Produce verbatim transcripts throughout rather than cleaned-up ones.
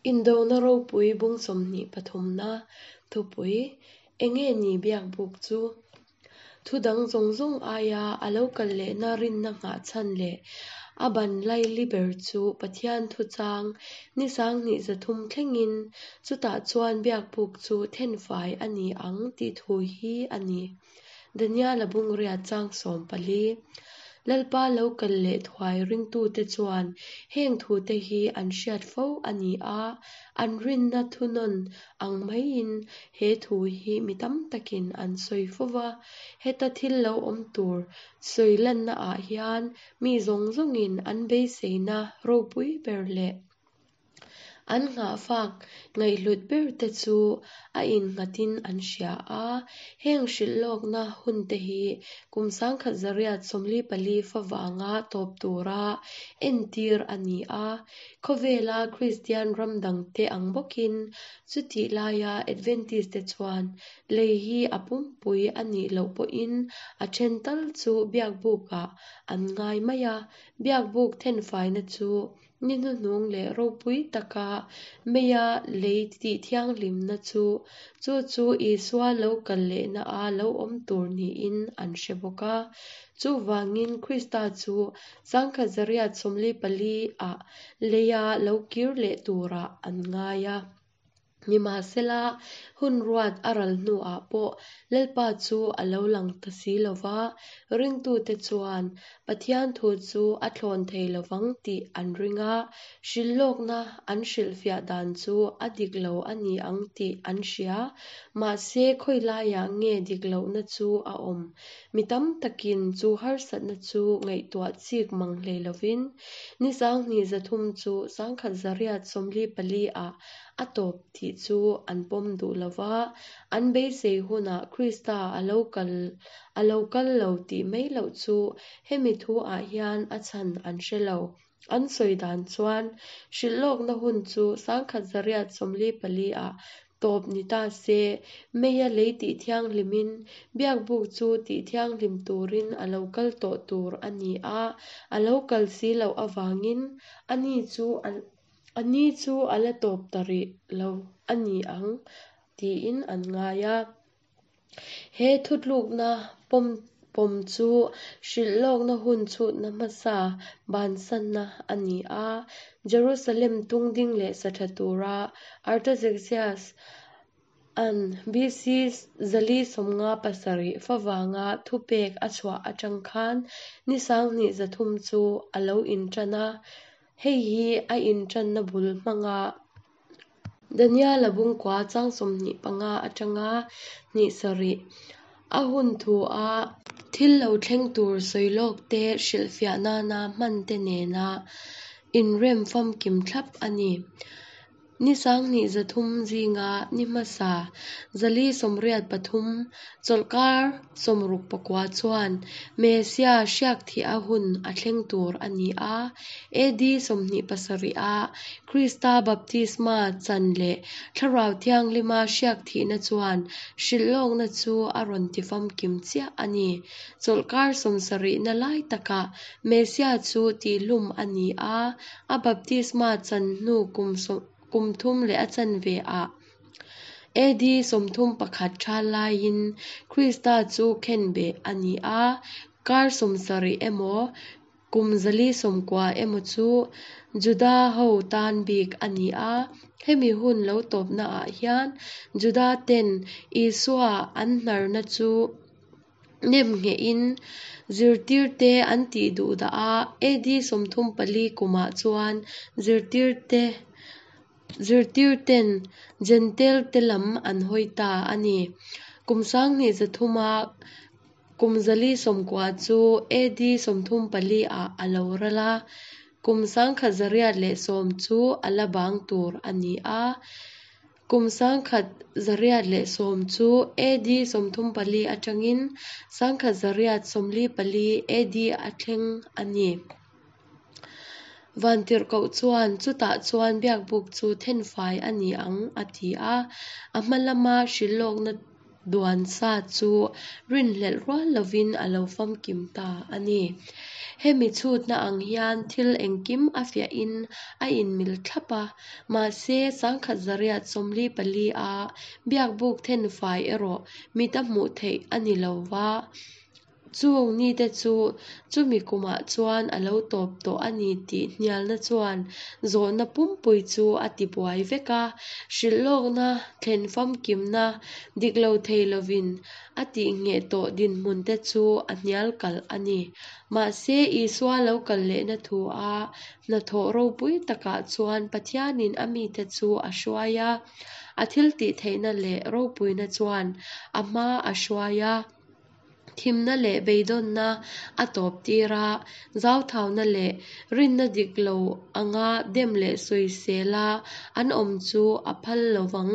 Indona ropui bung sawmhnih pathumna thupui enge ni biak buk chu thu dang zawng zawng aia a lo kal lehna rinna nghah chhan leh a ban laili ber chu Pathian thu chang ni sanghnih zathum thlengin chutah chuan biak buk chu thenfai a ni ang tih thu hi a ni. Daniel-a bungriat chang sawm pali Lalpa lo kal leh thuai ringtute chuan heng thute hi an hriat fo a ni a, an rinna thunawn ang maiin he thu hi mi tam takin an sawi fo va. Heta thil lo awm tur sawi lanna ah hian mi zawng zawngin an beiseina ropui ber leh an nghahfak ngaihhlut ber te chu a innghatin an hria a. Heng hrilhlawkna hun te hi kum sangkhat zariat sawmli pali favanga tawp tura entir a ni a. Khawvela Kristian ram dangte ang bawkin chutih laia Adventist te chuan lei hi a pumpui a nih loh pawhin a then tal chu biak bukah an ngai mai a. Biak buk thenfaina chu ni hnuhnung leh ropui taka meia lei tih thianghlimna chu chu chu Isua lo kal lehna a lo awm tur niin an hre bawk a. Chuvangin Krista chu sangkhat zariat sawmli pali ah leia lo kir leh turah an ngai a. Nimahsela hun ruat a ral hnuah pawh Lalpa chu a lo lang ta si lova, ringtute chuan Pathian thu chu a thlawn thei lovang tih an ring a, hrilhlawkna an hrilhfiah dan chu a dik lo a ni ang tih an hria. Mahse khawi laiah nge dik lohna chu a awm. Mi tam takin chu harsatna chu ngaihtuah chik mang hlei lovin ni sanghnih zathum chu sangkhat zariat sawmli pali ah a tawp tih chu an pawm duh lova, an beisei hunah Krista a lo kal a lo kal lo tih mai loh chu hemi thu ah hian a chhan an hre lo. An sawi dan chuan hrilhlawkna hun chu sangkhat zariat sawmli pali ah tawp ni ta se meia lei tih thianghlimin biak buk chu tih thianghlim turin a lo kal tawh tur a ni a, a lo kal si loh avangin ani chu ani chu a la tawp ta rih lo a ni ang tiin an ngai a. He thutlukna pawm pawm chu hrilhlawkna hun chhutna hmasa bansanna a ni a. Jerusalem tungding leh satha tura Artaxerxes an B C zali sawmnga pasarih favanga thupek a chhuah atang khan ni sanghnih zathum chu a lo intan a. Hei hi a intanna bul hmanga Daniel-a bungkua chang sawmhnih panga atanga hnih sarih a hun thu a thil lo thleng tur sawilawk te hrilhfiah nana hman te nena inrem famkim thlap a ni. Ni sanghnih zathum zinga ni hmasa zali sawmriat pathum chawlhkar sawmruk pakua chuan Messia hriak thih a hun a thleng tur a ni a. A D sawmhnih pasarih a Krista baptisma chan leh Thlarau Thianghlima hriak thihna chuan hrilhlawkna chu a rawn ti famkim chiah a ni. Chawlhkar sawmsarihna lai takah Messia chu tihhlum a ni a, a baptisma chan hnu kum kum thum leh a chanve ah A D sawmthum pakhat tha laiin Krista chu khenbeh a ni a, kar sawmsarih emaw kum zali sawmkua emaw chu Juda ho tan bik a ni a. Hemi hun lo tawpna ah hian Juda ten Isua an hnarna chu nem nghehin zirtirte an tih duh dah a. A D sawmthum pali kumah chuan zirtirte zirtirten Gentile te lam an hawi ta a ni. Kum sanghnih zathuma kum zali sawmkua chu A D sawmthum pali ah a lo ral a, kum sangkhat zariat leh sawm chu a la bang tur a ni a. Kum sangkhat zariat leh sawm chu A D sawmthum pali atangin sangkhat zariat sawmli pali A D a thleng a ni. Vantirhkoh chuan chutah chuan biak buk chu thenfai a ni ang a ti a. A hma lama hrilhlawkna duan sa chu rinhlelh rual lovin a lo famkim ta a ni. Hemi chhutna ang hian thil engkim a fiahin a inmil thlap a, mahse sangkhat zariat sawmli pali a biakbuk thenfai erawh mita hmuh theih a ni lo va. Chung nite chu chumi kumah chuan a lo tawp tawh a ni tih hnialna chuan zawhna pumpui chu a tibuai vek a. Hrilhlawkna thlen famkimna dik lo thei lovin a tihngheh tawh dinhmunte chu a hnial kalh a ni. Mahse, Isua lo kal lehna thu a hnathawh ropui takah chuan Pathianin a mite chu a hruai a, a thiltihtheihna leh ropuina chuan a hma a hruai a. Thimna leh beidawnna a tawp tir a, zauthauna leh rinna dik lo anga dem leh sawisela an awm chu a phal lo vang.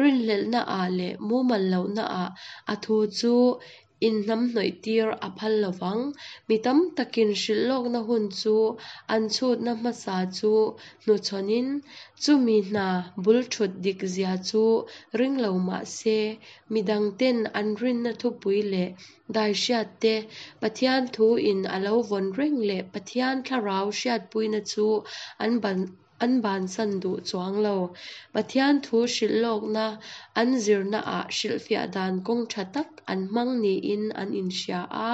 Rinhlelhnaah leh mumal lohnaah a thu chu inhnamhnawih tir a phal lo vang. Mi tam takin hrilhlawkna hun chu an chhutna hmasa chu hnuchhawnin, chumi hna bul thut dik zia chu ring lo mah se, mi dangten an rinna thupui leh daihriat te, Pathian thu in a lo vawn reng leh Pathian thlarau hriatpuina chu an ban an bansan duh chuang lo. Pathian thu hrilhlawkna an zirnaah hrilhfiah dan kawng tha tak an hmang niin an inhria a,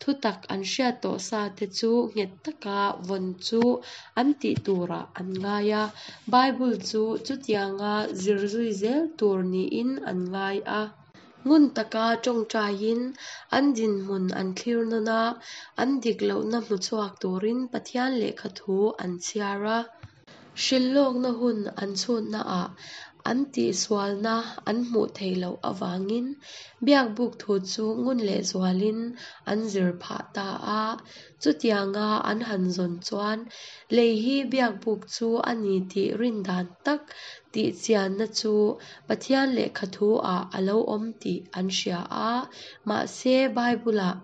thutak an hriat tawh sa te chu nghet taka vawn chu an tih turah an ngai a. Bible chu chutianga zir zui zel tur niin an ngai a. Ngun taka tawngtaiin an dinhmun an thlir nawn a, an dik lohna hmuchhuak turin Pathian lehkha thu an chhiar a. Hrilhlawkna hun an chhutnaah an tihsualna an hmuh theih loh avangin biakbuk thu chu ngun leh zualin an zir phah ta a. Chutianga an han zawn chuan lei hi biakbuk chu a ni tih rin dan tak tih chianna chu Pathian lehkha thu-ah a lo awm tih an hria a. Mahse, Bible-ah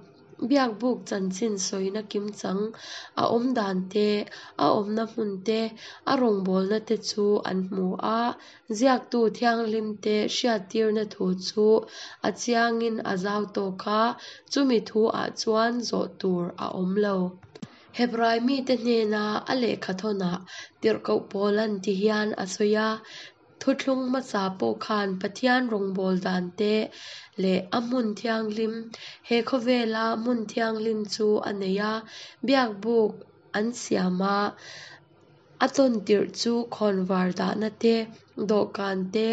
biakbuk chanchin sawina kimchang a awm dan te, a awmna hmun te, a rawngbawlna te chu an hmu a. Ziaktu thianghlim te hriattirna thu chu a chiangin a zau tawk a, chumi thu-ah chuan zawh tur a awm lo. Hebrai mite hnena a lehkha thawnah tirhkoh Paula'n ti hian a sawi a, Thuthlung hmasa pawh khan Pathian rawngbâwl dan te leh a hmun thianghlim, he khawvela hmun thianghlim chu a nei a, biakbuk an siam a, a tawn tirh chu khawnvar dahna te, dawhkan te,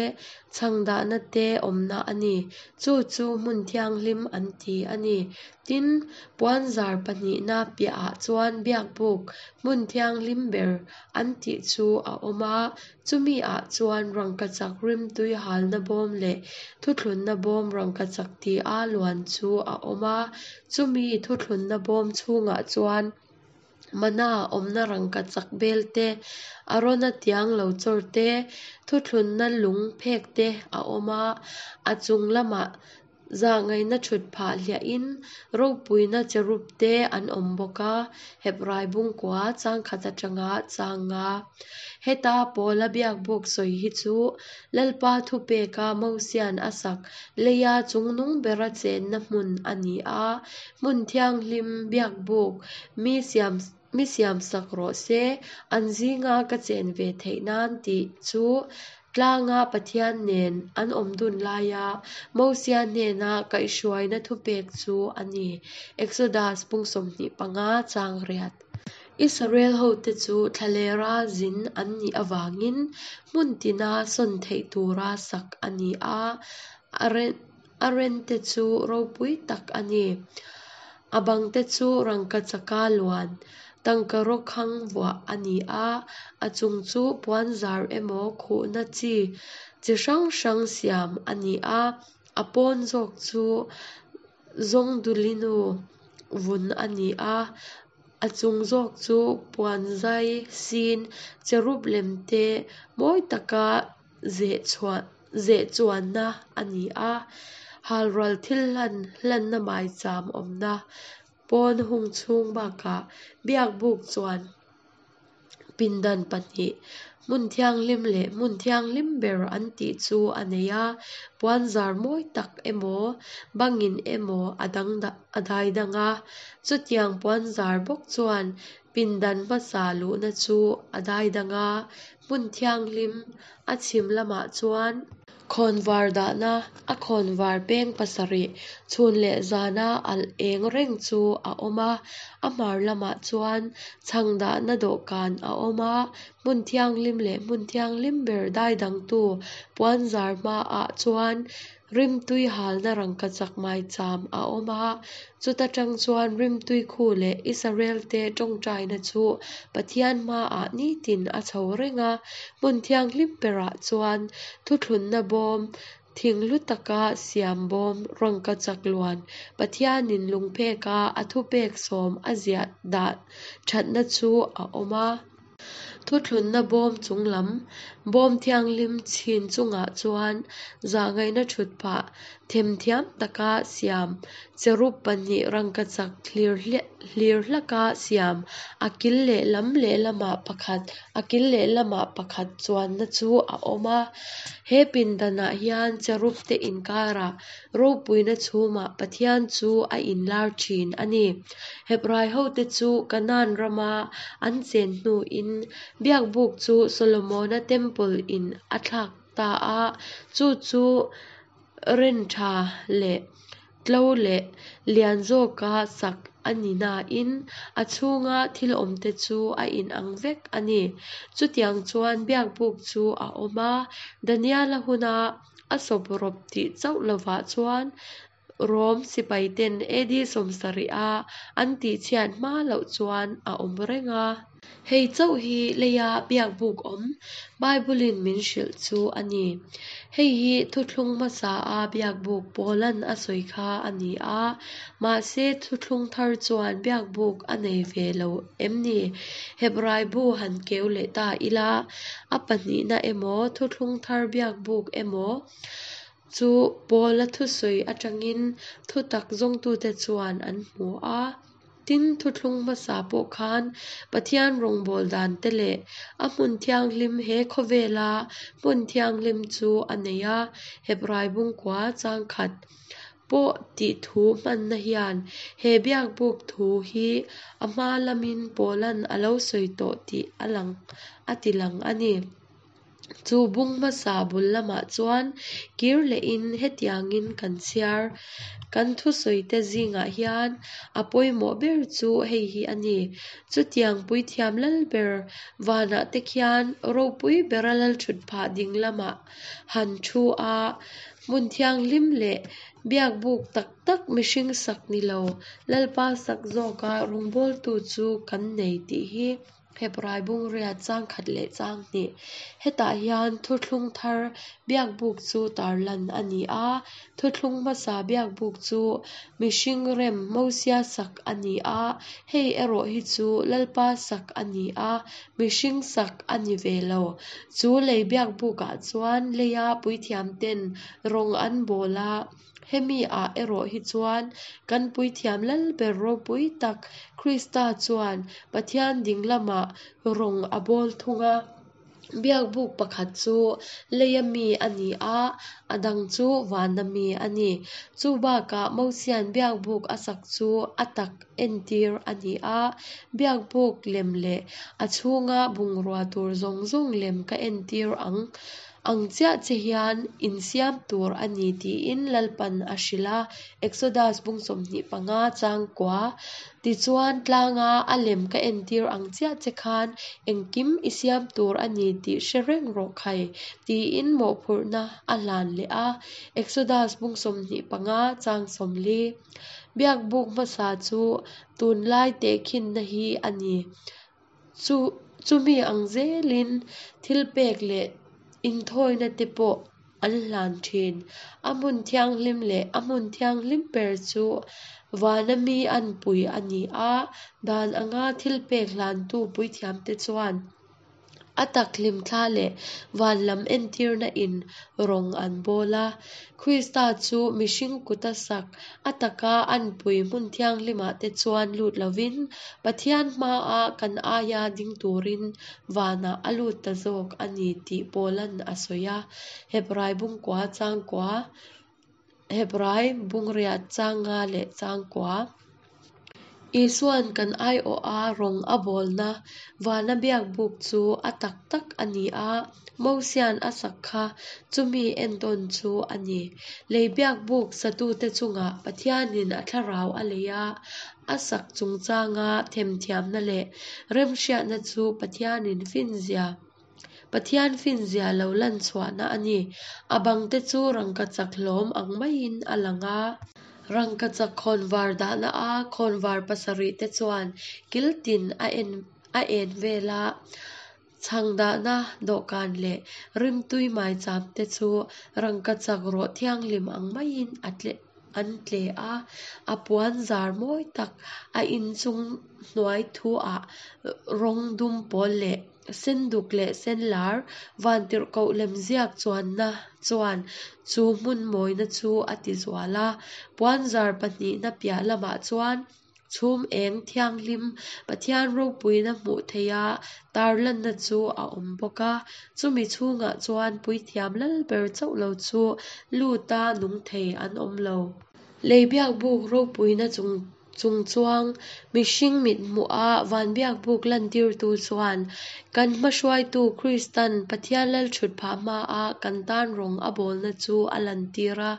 chhang dahna te awmna a ni. Chu chu hmun thianghlim an ti a ni. Tin, puanzar pahnihna piahah chuan biakbuk hmun thianghlim ber an tih chu a awm a, chumi ah chuan rangkachak rimtui halna bawm leh thuthlunna bawm rangkachak tia luan chu a awm a, chumi thuthlunna bawm chhungah chuan mana awmna rangkachak bel te, Arona tiang lo chawr te, thuthlunna lung phek te a awm a, a chung lamah zahngaihna thut phah hliahin ropuina cherub te an awm bawk a, Hebrai bungkua changkhat atanga chang nga. Heta Paula biakbuk sawi hi chu Lalpa thupeka Mosian a sak leia chungnung bera chenna hmun a ni a, hmun thianghlim biakbuk mi siam mi siamsak rawh se, an zinga ka chen ve theih nan tih chu tlanga Pathian nen an awm dun laia Mosia hnena kaihhruaina thupek chu a ni. Exodus bung sawmhnih panga chang riat. Israel hote chu thlalera zin an nih avangin hmun tina sawn theih tura sak a ni a, a rente chu ropui tak a ni. A bangte chu rangkachaka luan, tangkaraw khang vuah a ni a, a chung chu puanzar emaw khuhna chi chi hrang hrang siam a ni a, a pawn zawk chu zawngdulinu vun a ni a, a chung zawk chu puanzai sin cherub lem te mawi taka zeh chhuah zeh chuanna a ni a, halral thil hlan hlanna maicham awmna pawn hung chhung bakah biakbuk chuan pindan pahnih Hmun Thianghlim leh Hmun Thianghlim Ber an tih chu a nei a, puanzar mawi tak emaw, bangin emaw a dang a dai dang a. Chutiang puanzar bawk chuan pindan hmasa luhna chu a dai dang a, Hmun Thianghlim a chhim lamah chuan khawnvar dahna a khawnvar peng pasarih chhun leh zana alh eng reng chu a awm a, a hmar lamah chuan chhang dahna dawhkan a awm a, Hmun Thianghlim leh Hmun Thianghlim Ber daidangtu puanzar hmaah chuan rimtui halna rangkachak maicham a awm a, chuta tang chuan rimtui khu leh Israelte tawngtaina chu Pathian hmaah nitin a chho reng a, Hmun Thianghlim Berah chuan thuthlunna bawm, thing hlu taka siam bawm rangkachak luan Pathianin lungpheka a thupek sawm a ziah dah thatna chu a awm a. Thuthlunna bawm chung lam, bawm thianghlim chhin chungah chuan zahngaihna thut phah themthiam taka siam, cherub pahnih rangkachak hlir hlaka siam, a kil lehlam lehlamah pakhat, a kil lehlamah pakhat chuanna chu a awm a. He pindanah hian cherub te inkarah ropuina chhumah Pathian chu a inlar thin a ni. Hebrai hote chu Kanaan rama an chen hnuin Biakbuk chu Solomona Temple in a thlak ta a, chu chu ren tha leh tlo leh lian zawka sak a ni nain a chhunga thil awmte chu a inang vek a ni. Chutiang chuan Biakbuk chu a awm a, Daniela huna a sawp rawp tih chauh lovah chuan Rom sipaiten A D sawmsarih a an tihchhiat hma loh chuan a awm reng a. Hei chauh hi leia Biakbuk awm Bible-in min hrilh chu a ni. Hei hi thuthlung hmasa a Biakbuk Paulan a sawi kha a ni a, mahse thuthlung thar chuan Biakbuk a nei ve lo em ni? Hebrai bu han keu leh ta ila, a pahnihna emaw thuthlung thar Biakbuk emaw chu Paula thusawi atangin thutak zawngtute chuan an hmu a. Tin, thuthlung hmasa pawh khan Pathian rawngbâwl dante leh a hmun thianghlim he khawvela hmun thianghlim chu a nei a, Hebrai bungkua changkhat pawh tih thu hmanna hian he Biakbuk thu hi a hma lamin Paulan a lo sawi tawh tih a lang a ti lang a ni. Chu bung hmasa bul lamah chuan kir lehin hetiangin kan chhiar. Kan thusawite zingah hian a pawimawh ber chu hei hi a ni. Chutiang puithiam lal ber vanah te khian ropui bera lal thut phah ding lamah han thu a, hmun thianghlim leh Biakbuk tak tak mihring sak ni lo, Lalpa sak zawka rawngbawltu chu kan nei tih hi Hebrai bungriat changkhat leh chang hnih. Hetah hian thuthlung thar Biakbuk chu tarlan a ni a, thuthlung hmasa Biakbuk chu mihring rem Mosia sak a ni a, hei erawh hi chu Lalpa sak a ni a, mihring sak a ni ve lo. Chu lei Biakbukah chuan leia puithiamten rawng an bawl a, hemi ah erawh hi chuan kan puithiam lal ber ropui tak Krista chuan Pathian ding lamah rawng a bawl thung a. Biakbuk pakhat chu leia mi a ni a, a dang chu vana mi a ni. Chu bakah Mosian Biakbuk a sak chu a tak entir a ni a, Biakbuk lem leh a chhunga bungrua tur zawng zawng lem ka entir ang ang chiah che hian insiam tur a ni tiin Lalpan a hrilh a, Exodus bung sawmhnih panga changkua. Tichuan tlanga a lem ka entir ang chiah che khan engkim i siam tur a ni tih hre reng rawh khai tiin mawhphurhna a hlan leh a, Exodus bung sawmhnih panga chang sawmli. Biakbuk hmasa chu tunlai tehkhinna hi a ni. Chu chumi ang zelin thil pek leh inthawina te pawh an hlan thin. A hmun thianghlim leh a hmun thianghlim ber chu vana mi an pui a ni a, dan anga thil pek hlantu puithiamte chuan A tak hlimthla leh van lam entirna in rawng an bawl a. Krista chu mihring kuta sak a taka anpui hmun thianghlimah te chuan lut lovin Pathian hmaah kan aia ding turin vanah a lut ta zawk a ni tih Paula'n a sawi a, Hebrai bungkua changkua, Hebrai bungriat changa leh changkua. Isua'n kan aiawha rawng a bawlna vana biakbuk chu a tak tak a ni a, Mosia'n a sak kha chumi entawn chu a ni. Lei biakbuk satute chungah Pathianin a thlarau a lei a, a sak chungchanga themthiamna leh remhriatna chu Pathianin finzia Pathian finzia lo lan chhuahna a ni. A bangte chu rangkachak hlawm ang maiin a lang a. Rangkachak khawnvar dahna a khawnvar pasarih te chuan kil tin a en a en vel a, chhang dahna dawhkan leh rimtui maicham te chu rangkachak rawh thianghlim ang maiin a tle an tle a, a puan zar mawi tak a inchung hnuai thu ah rawng dum pawl leh senduk leh senlar vantirhkoh lemziak chuanna chuan chu hmun mawina chu a ti zual a. Puan zar pahnihna piah lamah chuan chhum eng thianghlim Pathian ropuina hmuh theiha tarlanna chu a awm bawk a. Chumi chhungah chuan puithiam lalber chauh lo chu luta nung thei an awm lo. Lei biakbuk ropuina chung chungchuang mihring mit hmuha van biakbuk lantirtu chuan kan hmahruaitu Kristan Pathian lalthutphah hmaa kan tan rawng a bawlna chu a lantir a.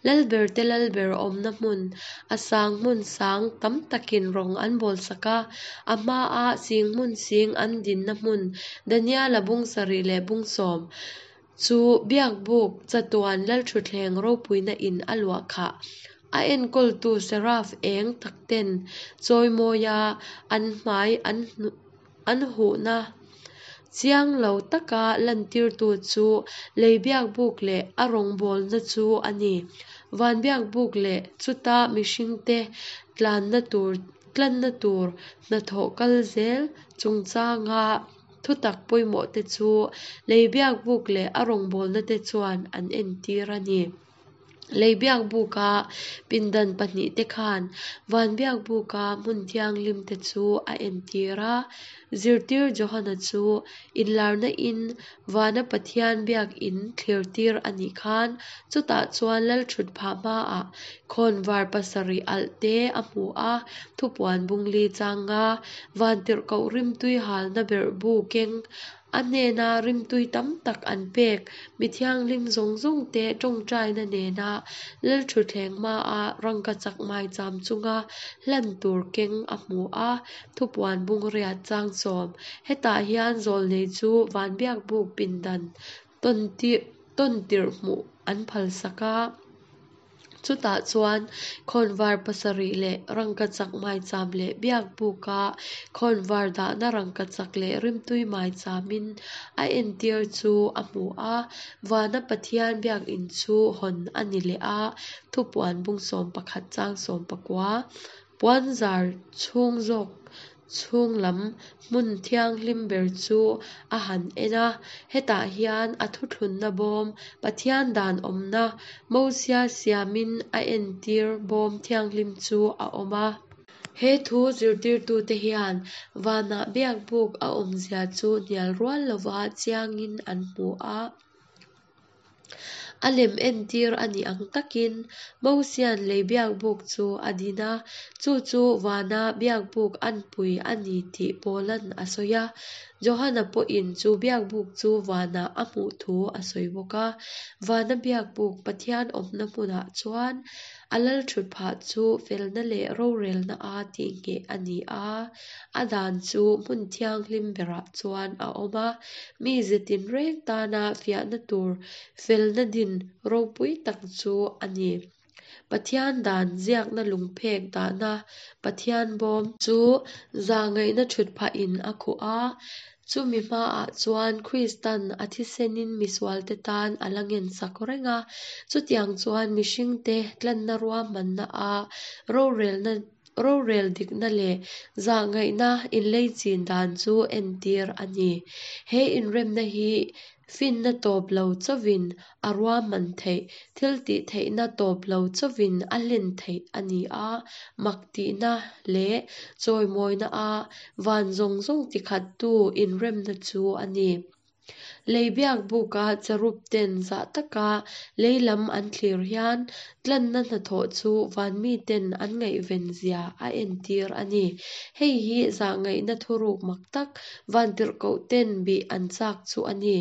Lalberte lalber awmna hmun a sang hmun sang tam takin rawng an bawlsak a, a hmaa sing hmun sing an dinna hmun Daniela bung sarih leh bung sawm chu biakbuk chatuan lalthutthleng ropuina in a luah khah. A enkawltu seraf eng takten chawimawia an hmai an an huhna chiang lo taka lantirtu chu lei biakbuk leh a rawngbawlna chu a ni. Van biakbuk leh chuta mihringte tlanna tur tlanna tur hnathawh kal zel chungchanga thutak pawimawh te chu lei biakbuk leh a rawngbawlna te chuan an entir a ni. Lei biakbuka pindan pahnih te khan van biakbuka hmun thianghlim te chu a entir a. Zirtir Johana chu inlarna in vana Pathian biak in thlirtir a nih khan chutah chuan lalthutphah hmaah khawnvar pasarih alh te a hmu a, thupuan bungli changa vantirhkoh rimtui halna berhbu keng a hnena rimtui tam tak an pek mi thianghlim zawng zawng te tawngtaina nena lalthutthleng hmaa rangkachak maicham chunga hlan tur keng a hmu a, thupuan bungriat chang sawm. Hetah hian zawlnei chu van biakbuk pindan tawntir tawntirh hmuh an phalsak a. Chutah chuan khawnvar pasarih leh rangkachak maicham leh biakbuka khawnvar dahna rangkachak leh rimtui maichamin a entir chu a hmu a. Vana Pathian biakin chu hawn a ni leh a, thupuan bung sawm pakhat chang sawm pakua. Puan zar chhung zawk chhung lam hmun thianghlim ber chu a han en a. Hetah hian a thuthlunna bawm Pathian dan awmna Mosia siamin a entir bawm thianghlim chu a awm a. He thu zirtirtute hian vanah biakbuk a awmzia chu hnial rual lova chiangin an hmu a. A lem entir a nih ang takin Mosia'n lei biakbuk chu a din a, chu chu vana biakbuk anpui a ni tih Paula'n a sawi a. Johana pawhin chu biakbuk chu vanah a hmuh thu a sawi bawk a. Vana biakbuk Pathian awmna hmunah chuan a lalthutphah chu felna leh rorelna a tihngheh a ni a, a dan chu hmun thianghlim berah chuan a awm a, mi ze tinreng tana fiahna tur felna din ropui tak chu a ni. Pathian dan ziakna lungphek dahna Pathian bawm chu zahngaihna thutphahin a khuh a, chumi hmaah chuan Kristan a thisenin misualte tan a la ngensak reng a. Chutiang chuan mihringte tlanna ruahmanna a rorelna Rorel dikna leh zahngaihna inleichin dan chu entir a ni. He inremna hi finna tawp lo chauhin a ruahman theih, thiltihtheihna tawp lo chauhin a hlen theih a ni a, mak tihna leh chawimawina a van zawng zawng tikhattu inremna chu a ni. Lei biakbuka cherub ten zah taka lei lam an thlir hian tlanna hnathawh chu van miten an ngaihven zia a entir a ni. Hei hi zahngaihna thuruk mak tak vantirhkoh ten bih an chak chu a ni.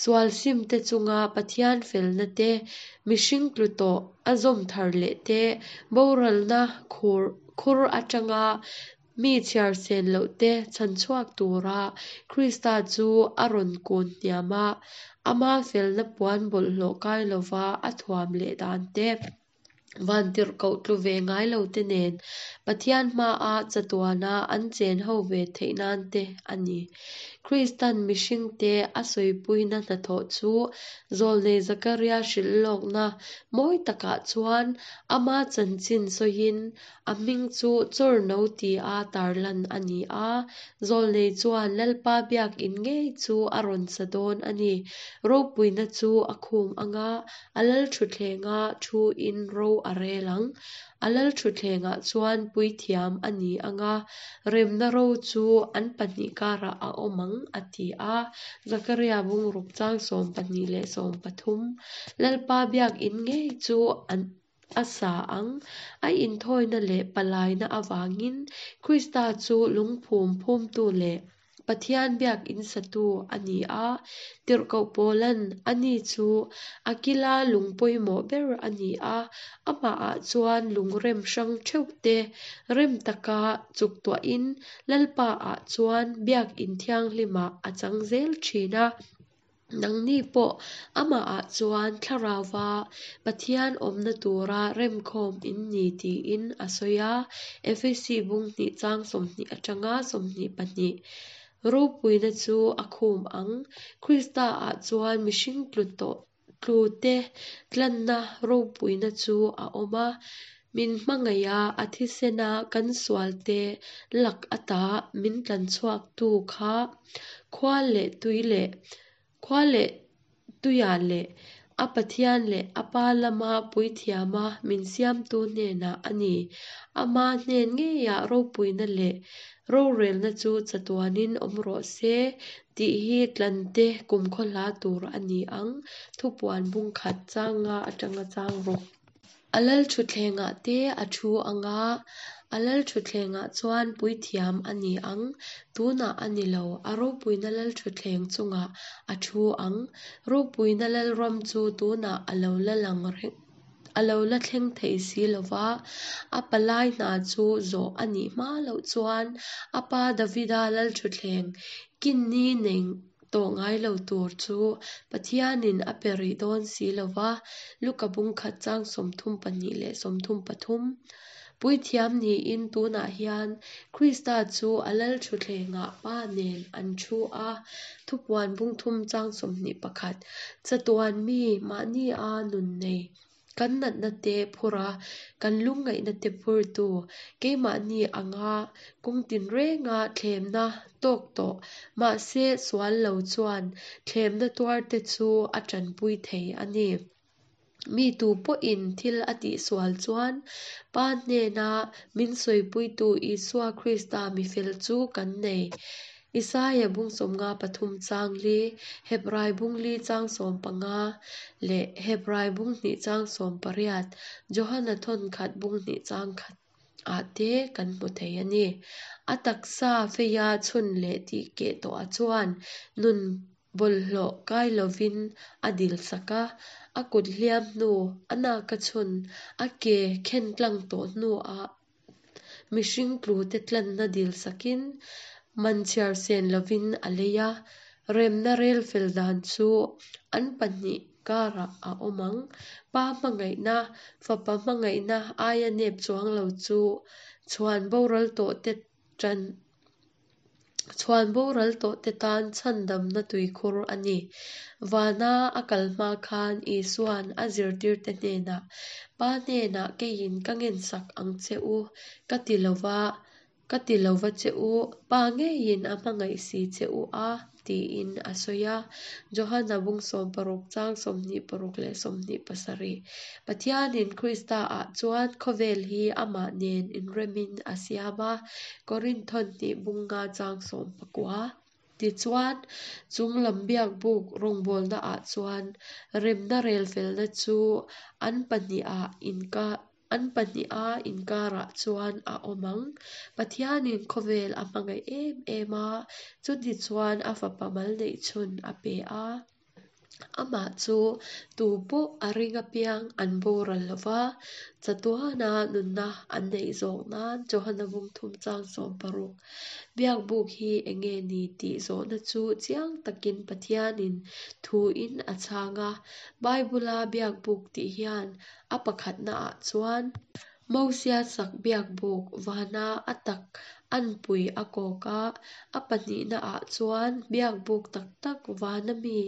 Sual sim te chunga Pathian felna te, mihring tlu tawh a zawm thar leh te, boralna khur khur atanga mi chhiar sen loh te chhanchhuak tura Krista chu a rawn kun hniam a, ama felna puan bawlhhlawh kai lova a thuam leh dan te, vantirhkoh tlu ve ngai lo te nen Pathian hmaa chatuana an chen ho ve theih nan te a ni. Kristan mihringte a sawipuina hnathawh chu Zawlnei Zakaria hrilh lawkna mawi takah chuan ama chanchin sawiin a hming chu Chawrno tia tarlan a ni a. Zawlnei chuan Lalpa biakin ngei chu a rawn sa dawn a ni. Ropuina chu a khum anga a lal thuthlenga thu in ro a rel ang. A lal thutthlengah chuan puithiam a ni anga, remna ro chu an pahnih karah a awm ang, a ti a. Zakaria bungruk chang sawm pahnih leh sawm pathum. Lalpa biakin ngei chu an a sa ang. A inthawina leh palaina avangin Krista chu lungphum phumtu leh Pathian biakin satu a ni a, tirhkoh Paulan ani chu a kila lung pawimawh ber a ni a, amahah chuan lungrem hrang theuh te rem taka chuktuahin Lalpaah chuan biakin thianghlimah a chang zel thin a. Nangni pawh amahah chuan thlarauva Pathian awmna tura remkhawm in ni tiin a sawi a, Efesi bung hnih chang sawmhnih atanga sawmhnih pahnih. Ropuina chu a khum ang. Krista ah chuan mihring tlu tawh tlu te tlanna ropuina chu a awm a. Min hmangaih a, a thisena kan sual te lak ata min tlanchhuak tu kha khua leh tui leh khua leh tuiah leh a Pathian leh a Pa lama puithiama min siamtu hnenah a ni. Ama hnen ngeiah ropuina leh rorelna chu chatuanin awm rawh se tih hi tlante kumkhaw hla tur a ni ang. Thupuan bung khat chang nga atanga chang ruk. A lal thutthlengah te a thu anga, a lal thutthlengah chuan puithiam a ni ang. Tunah a ni lo, a ropuina lal thutthleng chungah a thu ang. Ropuina lalram chu tunah a lo la lang reng a lo la thleng thei si lova, a palai hna chu zawh a nih hma loh chuan a pa Davida lal thutthleng kinni nei tawh ngai lo tur chu Pathianin a pe rih dawn si lova, Luka bung khat chang sawmthum pahnih leh sawmthum pathum. Puithiam niin tunah hian Krista chu a lal thutthlengah Pa nen an thu a, thupuan bung thum chang sawmhnih pakhat. Chatuan mi mahni a nun nei kan natna te phur a, kan lungngaihna te phurtu, keimahni anga kawng tinrenga thlemna tawk tawh, mahse sual lo chuan thlemna tuar te chu a tanpui thei a ni. Mi tu pawhin thil a tihsual chuan Pa hnena min sawipuitu Isua Krista mi fel chu kan nei. Isaia bung sawmnga pathum chang li, Hebrai bung li chang sawm panga leh Hebrai bung hnih chang sawm pariat, Johana thawn khat bung hnih chang khat ah te kan hmu thei a ni. A taksa feia chhun leh tih keh tawhah chuan nun bawlhhlawh kai lovin a dil sak a, a kut hliam hnu, a naka chhun, a ke khen tlang tawh hnuah mihring tlu te tlanna dil sakin man chhiar sen lovin a lei a, remna rel fel dan chu an pahnih karah a awm ang. Pa hmangaihna, fapa hmangaihna aia nep chuang lo chu chhuan boral tawh te tan Chhuan boral tawhte tan chhandamna tuikhur a ni. Vana a kal hma khan Isuan a zirtirte hnenah, Pa hnenah keiin ka ngensak ang che u, ka ti lova, ka ti lova che u, Pa ngeiin a hmangaih si che u a, tiin a sawi a. Johana bung sawm paruk chang sawmhnih paruk leh sawmhnih pasarih. Pathianin Kristaah chuan khawvel hi amah nen inremin a siam a, Korinthon hnih bung nga chang sawm pakua. Tichuan, chunglam biakbuk rawngbawlnaah chuan remna relfelna chu an pahniha inka an pahniha inkarah chuan a awm ang. Pathianin khawvel a hmangaih em em a, chutichuan a fapa mal neih chhun a pe a. Amah chu tu pawh a ring apiang an boral lova, chatuana nunna an neih zawk nan Johana bung thum chang sawm paruk. Biakbuk hi enge ni tih zawhna chu chiang takin Pathianin thuin a chhang a. Bible-a biakbuk tih hian a pakhatnaah chuan Mosia sak biakbuk vana a tak anpui a kawk a, a pahnihnaah chuan biakbuk tak tak vana mi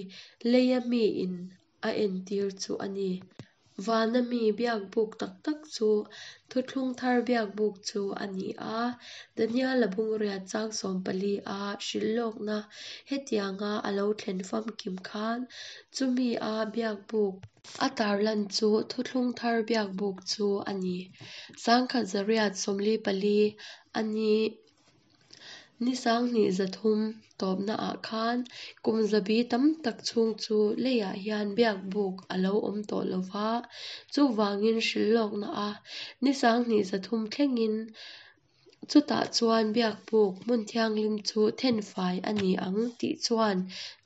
leia miin a entir chu a ni. Vana mi biakbuk tak tak chu Thuthlung Thar biakbuk chu a ni a. Daniel-a bungriat chang sawm pali a hrilhlawkna hetianga a lo thlen famkim khan chumi a biakbuk a tarlan chu Thuthlung Thar biakbuk chu a ni. Sangkhat zariat sawmli pali a ni. Ni sanghnih zathum tawpnaah khan kum zabi tam tak chhung chu leiah hian biakbuk a lo awm tawh lova, chuvangin hrilhlawkna a ni sanghnih zathum thlengin chutah chuan biakbuk hmun thianghlim chu thenfai a ni ang tih chuan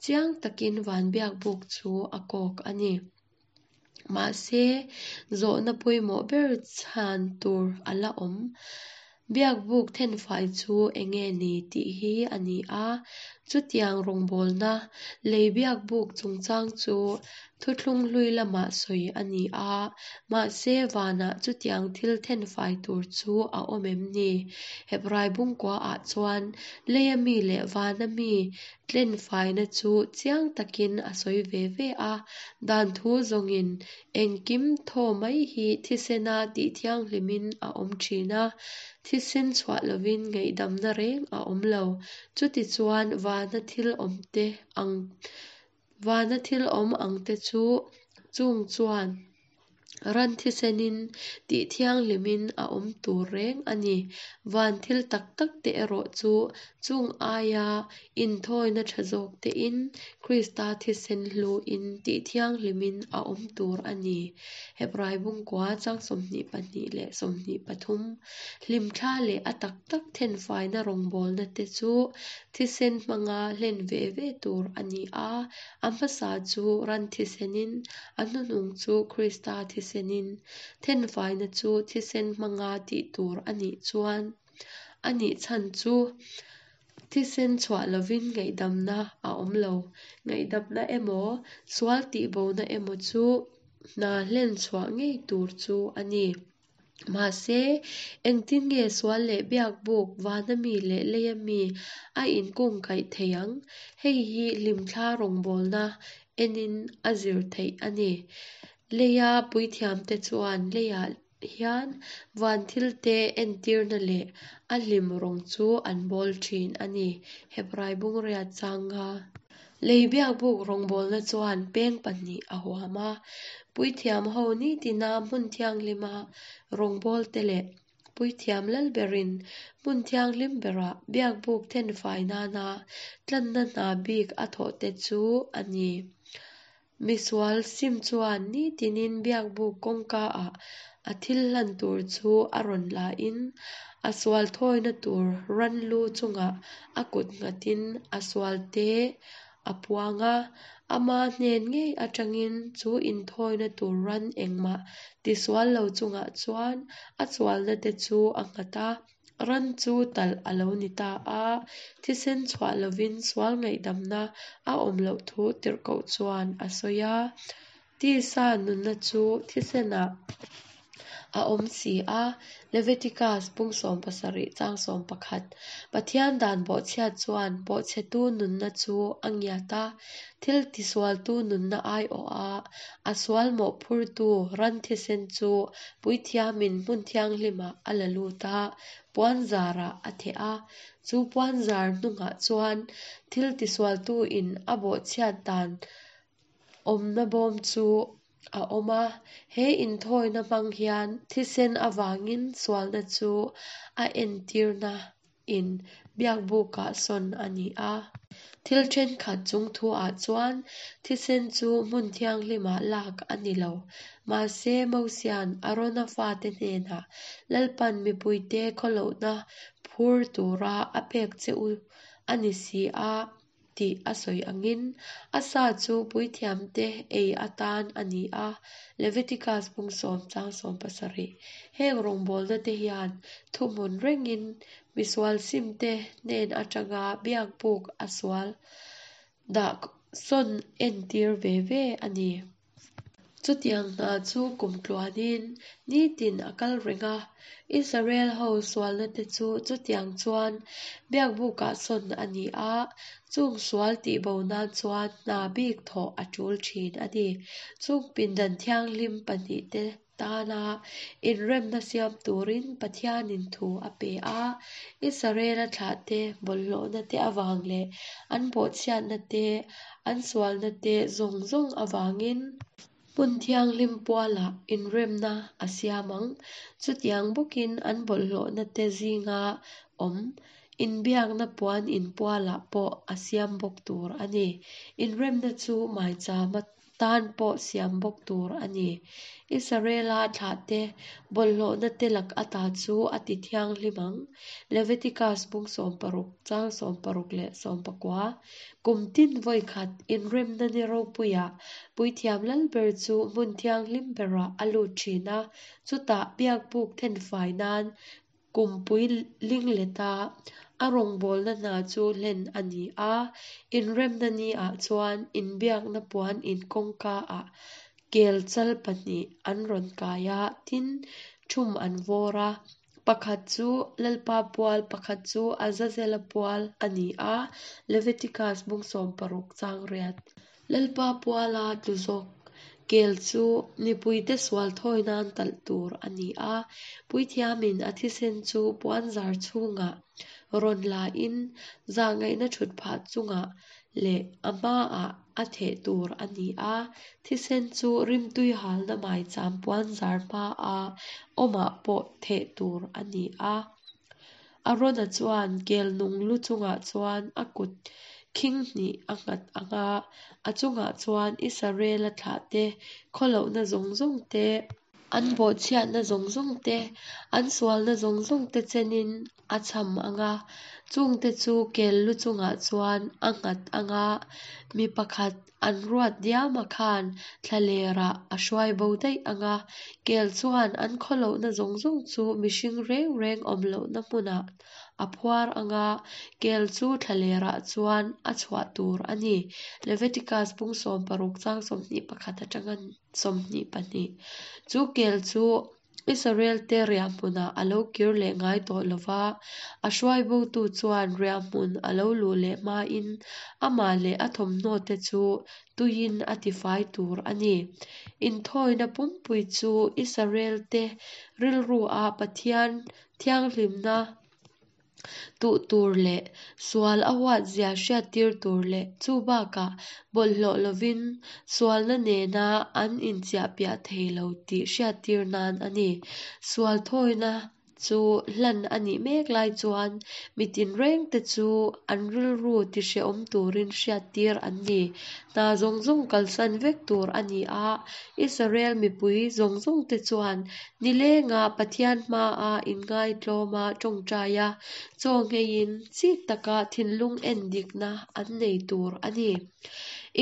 chiang takin van biakbuk chu a kawk a ni. Mahse, zawhna pawimawh ber chhan tur a la awm. Biakbuk thenfai chu enge ni tih hi a ni a, chutiang rawngbawlna lei biakbuk chungchang chu thuthlung hlui lamah sawi a ni a, mahse vanah chutiang thil thenfai tur chu a awm em ni? Hebrai bungkuaah chuan leia mi leh vana mi tlenfaina chu chiang takin a sawi ve ve a, dan thu zawngin engkim thaw mai hi thisena tih thianghlimin a awm thin a, thisen chhuah lovin ngaihdamna reng a awm lo. Chutichuan vana thil awm te ang vana thil awm ang te chu chung chuan ran thisenin tih thianghlimin a awm tur reng a ni. Van thil tak tak te erawh chu chung aia inthawina tha zawk tein Krista thisen hluin tih thianghlimin a awm tur a ni. Hebrai bungkua chang sawmhnih pahnih leh sawmhnih pathum. Hlimthla leh a tak tak thenfaina rawngbawlna te chu thisen hmanga hlen ve ve tur a ni a, a hmasa chu ran thisenin, a hnuhnung chu Krista thisenin. Thenfaina chu thisen hmanga tih tur a nih chuan a nih chhan chu thisen chhuah lovin ngaihdamna a awm lo. Ngaihdamna emaw, sual tihbona emaw chu hna hlen chhuah ngei tur chu a ni. Mahse, engtin nge sual leh biakbuk vana mi leh leia mi a inkungkaih thei ang? Hei hi hlimthla rawngbawlna enin a zir theih a ni. Leia puithiamte chuan leiah hian van thilte entirna leh a hlim rawng chu an bawl thin a ni. Hebrai bungriat changa. Lei biakbuk rawngbawlna chuan peng pahnih a huam a, puithiam ho nitina hmun thianghlima rawngbawlte leh puithiam lalberin hmun thianghlim berah biakbuk thenfai nana tlanna hna bik a thawhte chu a ni. Misual sim chuan nitinin biakbuk kawngkaah a thil hlan tur chu a rawn lain a sual thawina tur ran lu chungah a kut nghatin a sualte a puang a, ama hnen ngei atangin chu inthawina tur ran engmah tisual lo chungah chuan a sualna te chu a nghat a, ran chu talh a lo ni ta a, thisen chhuah lovin sual ngaihdamna a awm loh thu tirhkoh chuan a sawi a. Tisa nunna chu thisenah a awm si a, Leviticus bung sawm pasarih chang sawm pakhat. Pathian dan bawhchhiat chuan bawhchhetu nunna chu a ngiat a, thil tisualtu nunna aiawh a, a sual mawhphurtu ran thisen chu puithiamin hmun thianghlimah a la lut a, puanzarah a theh a. Chu puanzar hnungah chuan thil tisualtuin a bawhchhiat dan awmna bawm chu a awm a. He inthawina hmang hian thisen avangin sualna chu a entirna in biakbukah sawn a ni a. Thil thenkhat chung thuah chuan thisen chu hmun thianghlimah lak a ni lo. Mahse Mosian Arona fate hnenah Lalpan mipuite khawlohna phur tura a pek che u a ni si a tih a sawi angin a sa chu puithiamte ei atan a ni a, Leviticus bung sawm chang sawm pasarih. Heng rawngbawlna te hian thuhmun rengin misual simte hnen atanga biakbuk a sual dah sawn entir ve ve a ni. Chutiang hna chu kum tluanin nitin a kal reng a, Israel ho sualna te chu chutiang chuan biakbukah sawn a ni a, chung sual tihbo nan chuan hna bik thawh a tul thin a ni. Chung pindan thianghlim pahnih te tana inremna siam turin Pathianin thu a pe a, Israela thlahte bawlhhlawhna te avang leh an bawhchhiatna te, an sualna te zawng zawng avangin hmun thianghlim pualah inremna a siam ang. Chutiang bawkin an bawlhhlawhna te zinga awm inbiakna puan in pualah pawh a siam bawk tur a ni. Inremna chu maichama tan pawh siam bawk tur a ni. Israela thlahte bawlhhlawhna te lak ata chu a ti thianghlim ang. Leviticus bung sawm paruk chang sawm paruk leh sawm pakua. Kum tin vawi khat inremna ni ropuiah puithiam lalber chu hmun thianghlim berah a lut thin a, chutah biakbuk thenfai nan kumpui lingleta a rawngbawlna hna chu hlen a ni a. Inremna ni ah chuan inbiakna puan in kawngka ah kel chal pahnih an rawn kai a, tin thum an vawr a. Pakhat chu Lalpa pual, pakhat chu Azazela pual a ni a, Leviticus bung sawm paruk chang riat. Lalpa puala tlu zawk kel chu mipuite sual thawi nan talh tur a ni a, puithiamin a thisen chu puanzar chhungah rawn la in zahngaihna thut phah chungah leh a hmaah a theh tur a ni a, thisen chu rimtui halna maicham puanzar hmaa awmah pawh theh tur a ni a. Arona chuan kel nung lu chungah chuan a kut khing hnih a nghat anga, a chungah chuan Israela thlahte khawlohna zawng zawng te, an bawhchhiatna zawng zawng te, an sualna zawng zawng te chenin a cham anga, chungte chu kel lu chungah chuan a nghat anga, mi pakhat an ruat diama khan thlalerah a hruai bo daih anga, kel chuan an khawlohna zawng zawng chu mihring reng reng awm lohna hmunah a phuar anga, kel chu thlalerah chuan a chhuah tur a ni. Leviticus bung sawm paruk chang sawmhnih pakhat atanga sawmhnih pahnih. Chu kel chu Israel te riahhmunah a lo kir leh ngai tawh lova, a hruai botu chuan riahhmun a lo luh leh hmain amah leh a thawmhnaw te chu tuiin a tifai tur a ni. Inthawina pumpui chu Israel te rilru a Pathian thianghlimna tuh tur leh sual a huat zia hriattir tur leh chu bakah bawlhhlawh lovin sualna nena an inchiahpiah thei lo tih hriattir nan a ni. Sual thawina chu hlan a nih mek lai chuan mitin reng te chu an rilru tihrehawm turin hriattir an ni. Hna zawng zawng kalsan vek tur a ni a, Israel mipui zawng zawng te chuan nilenga Pathian hmaa inngaitlawma tawngtai a, chaw ngheiin chik taka thinlung en dikna an nei tur a ni.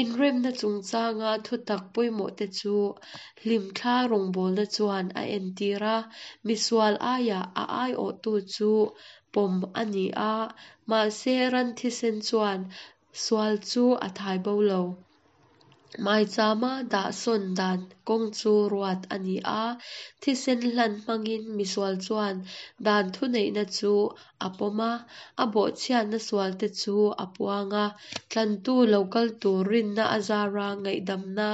Inremna chungchanga thutak pawimawh te chu hlimthla rawngbawlna chuan a entir a, misual aiah a aiawhtu chu pawm a ni a, mahse ran thisen chuan sual chu a thai bo lo. Maichama dah sawn dan kawng chu ruat a ni a, thisen hlan hmangin misual chuan dan thuneihna chu a pawm a, a bawhchhiatna sualte chu a puang a, tlantu lo kal tur rinna azara ngaihdamna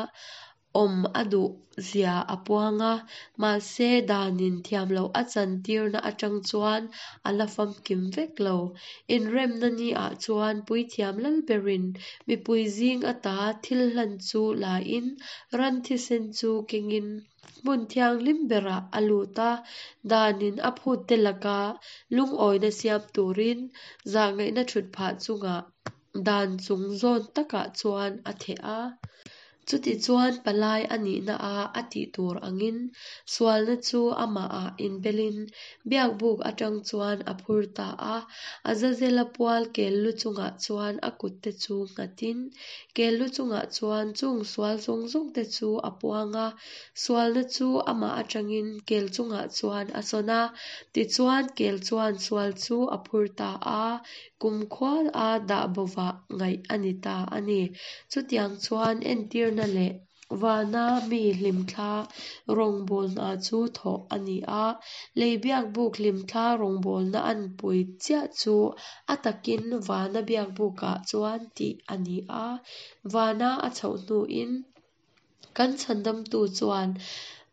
awm a duh zia a puang a, mahse danin thiamloh a chantirna atang chuan a la famkim vek lo. Inremna ni-ah chuan Puithiam Lalberin mipui zing ata thil hlan chu la-in ran thisen chu kengin hmun thianghlim berah a lut a, danin a phutte laka lungawina siam turin zahngaihna thutphah chungah dan chung zawn takah chuan a theh a. Chutichuan palai a nihna a a tih tur angin sualna chu amahah inbelin biakbuk atang chuan a phur ta a. Azazela pual kel lu chungah chuan a kutte chu nghatin kel lu chungah chuan chung sual zawng zawngte chu a puang a, sualna chu amah atangin kel chungah chuan a sawn a, tichuan kel chuan sual chu a phur ta a, kumkhua a dah bovah ngaih a ni ta a ni. Chutiang chuan entirna leh vana mi hlimthla rawngbawlna chu thawh a ni a, lei biakbuk hlimthla rawngbawlna anpui chiah chu a takin vana biakbukah chuan tih a ni a, vana a chhoh hnuin kan chhandamtu chuan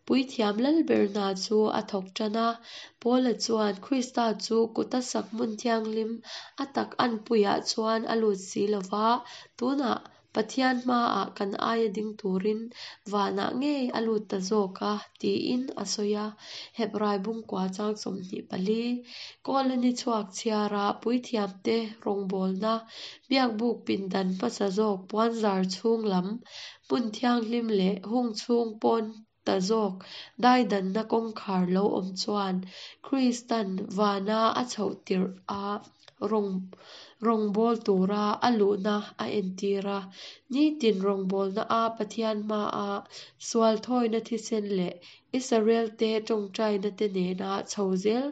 Puithiam Lalber hna chu a thawk tan a. Paula chuan Krista chu kuta sak hmun thianghlim a tak anpuiah chuan a lut si lo va, tunah Pathian hmaah kan aia ding turin vanah ngei a lut ta zawk a, tiin a sawi a. Hebrai bungkua chang sawmhnih pali, Kawla ni chhuak chhiara puithiamte rawngbawlna biakbuk pindan hmasa zawk puanzar chhung lam hmun thianghlim leh hung chhung pawn ta zawk daidanna kawngkhar lo awm chuan Kristan vana a chhoh tirh a rawng rawngbâwl tura a luhna a entir a. Nitin rawngbawlna a Pathian hmaa sual thawina thisen leh Israel-te tawngtaina te nena chho zel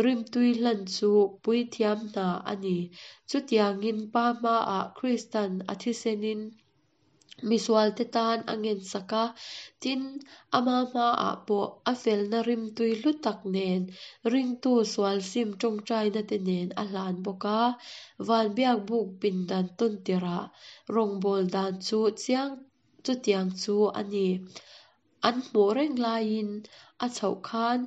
rimtui hlan chu puithiam hna a ni. Chutiangin Pa hmaah Kristan a thisenin misualte tan a ngensak a, tin, ama hmaah pawh a felna rimtui hlu tak nen ringtu sual sim tawngtaina te nen a hlan bawk a. Van biakbuk pindan tawntirah rawngbâwl dan chu chiang chutiang chu a ni. An hmuh reng laiin a chhoh khan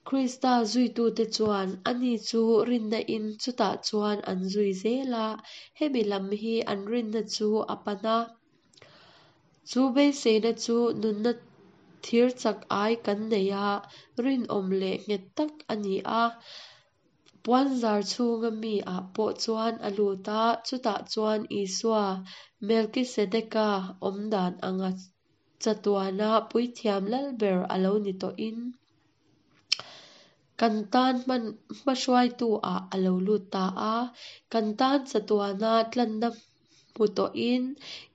Krista zuitute chuan ani chu rinna in chutah chuan an zui zel a, hemi lam hi an rinna chu a pan a. Chu beiseina chu nunna thir chak ai kan nei a, rinawm leh nghet tak a ni a. Puanzar chhunga mi ah pawh chuan a lut a, chutah chuan Isua Melkisedeka awm dan anga chatuana puithiam lalber a lo ni tawhin kan tan hman hmahruaitu ah a lo lut ta a, kan tan chatuana tlanna hmu tawhin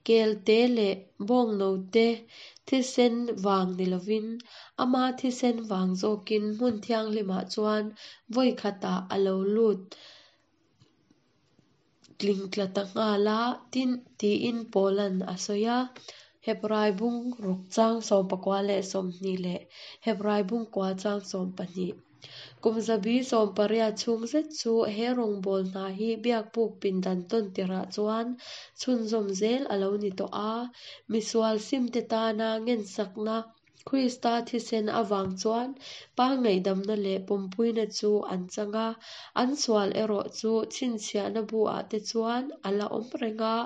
kelte leh bawngnote thisen vang ni lovin ama thisen vang zawkin hmun thianghlimah chuan vawi khatah a lo lut tlingtla ta nghal a, tin tiin Paulan a sawi a. Hebrai bung ruk chang sawm pakua leh sawmhnih leh Hebrai bung kua chang sawm pahnih. Kum zabi sawm pariat chhung zet chu he rawngbâwl hna hi biakbuk pindan tawntirah chuan chhunzawm zel a lo ni tawh a, misual simte tana ngensakna Krista thisen avang chuan Pa ngaihdamna leh pawmpuina chu an chang a, an sual erawh chu chhinchhiahna bu-ah te chuan a la awm reng a,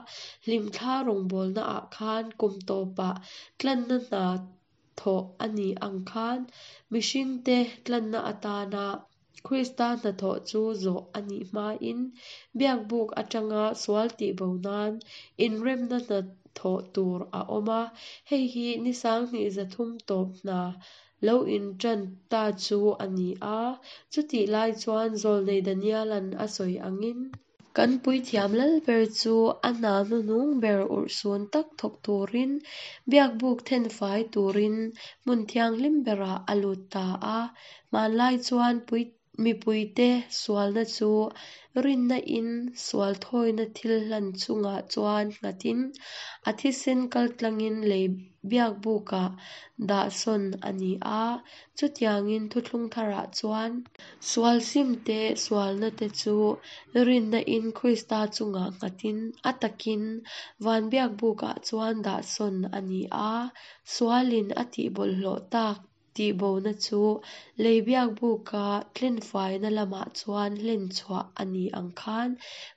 hlimthla rawngbawlnaah khan kum tawpah tlanna hna thawh a ni ang khan mihringte tlanna atana Krista hnathawh chu zawh a nih hmain biakbuk atanga sual tihbo nan inremna hnathawh tur a awm a, hei hi ni sanghnih zathum tawp hna lo intan ta chu a ni a, chutih lai chuan Zawlnei Daniela'n a sawi angin. Kan puithiam lalber chu a hna hnuhnung ber urhsun tak thawk turin biakbuk thenfai turin hmun thianghlim berah a lut ta a. Hmanlai chuan pui Mipuite sualna chu rinna in sual thawina thilhlan chungah chuan nghatin a thisen kaltlangin lei biakbukah dah sawn a ni a. Chutiangin Thuthlung Tharah chuan sual simte sualna te chu rinna in Krista chungah nghatin a takin van biakbukah chuan dah sawn a ni a. Sualin a tihbawlhhlawh tak tihbona chu lei biakbuka tlenfaina lamah chuan hlenchhuah a ni ang khan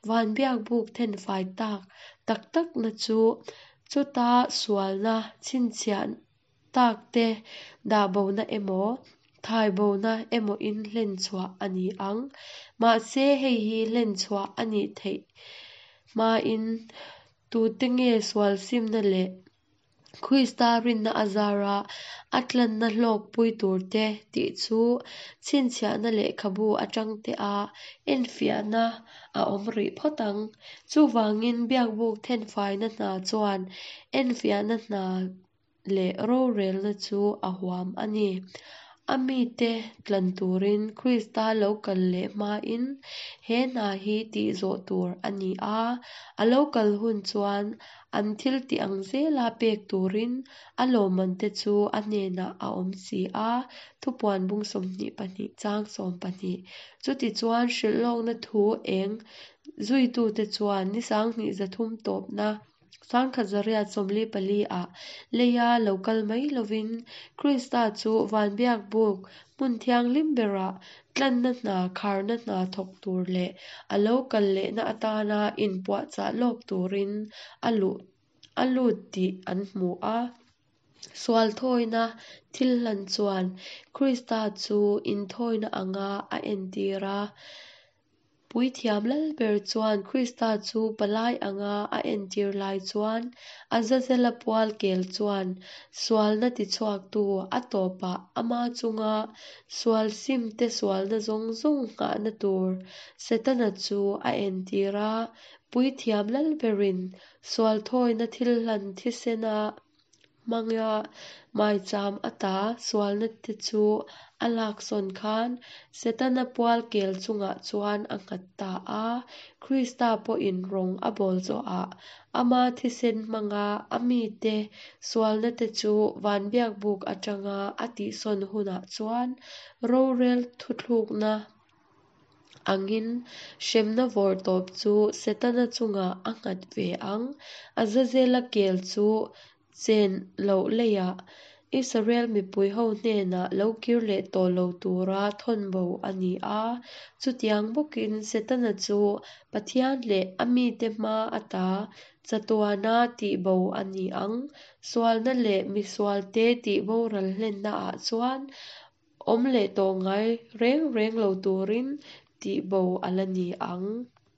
van biakbuk thenfai tak tak takna chu chuta sualna chhinchhiah takte dahbona emaw, thaibona emawin hlenchhuah a ni ang. Mahse hei hi hlenchhuah a nih theih hmain tute nge sual simna leh Krista rinna azara a tlanna hlawkpui turte tih chu chhinchhiahna lehkhabu atangtea enfiahna a awm rih phawt ang. Chuvangin biakbuk thenfaina hna chuan enfiahna hna leh rorelna chu a huam a ni. A mite tlan turin Krista lo kal leh hmain he hna hi tih zawh tur a ni a. A lo kal hun chuan an thil tih ang zela pek turin a lawmmante chu a hnenah a awm si a. Thupuan bung sawmhnih pahnih chang sawm pahnih. Chutichuan hrilhlawkna thu eng zuitute chuan ni sanghnih zathum tawpna sangkhat zariat sawmli pali ah leia lo kal mai lovin Krista chu van biakbuk hmun thianghlim berah tlanna hna kharna hna thawk tur leh a lo kal lehna atana inpuahchah lawk turin a luh a lut tih an hmu a. Sual thawina thilhlan chuan Krista chu inthawina anga a entir a. Puithiam Lalber chuan Krista chu palai anga a entir lai chuan Azazela pual kel chuan sualna tichhuaktu a tawpah ama chunga sual simte sualna zawng zawng nghahna tur Setana chu a entir a. Puithiam Lalberin sual thawina thilhlan thisena hmanga maicham ata sualna te chu a laksawn khan Setana pual kel chungah chuan a nghat ta a. Krista pawhin rawng a bawl zawhah ama thisen hmanga a mite sualna te chu van biakbuk atanga a tihsawn hunah chuan rorel thuthlukna angin hremna vawrtawp chu Setana chungah a nghat ve ang. Azazela kel chu chen loh leiah Israel mipui ho hnenah lo kir leh tawh lo tura thawnbo a ni a. Chutiang bawkin Setana chu Pathian leh a mite hma ata chatuana tihbo a ni ang. Sualna leh misualte tihboral hlennaah chuan awm leh tawh ngai reng reng lo turin tihbo a la ni ang.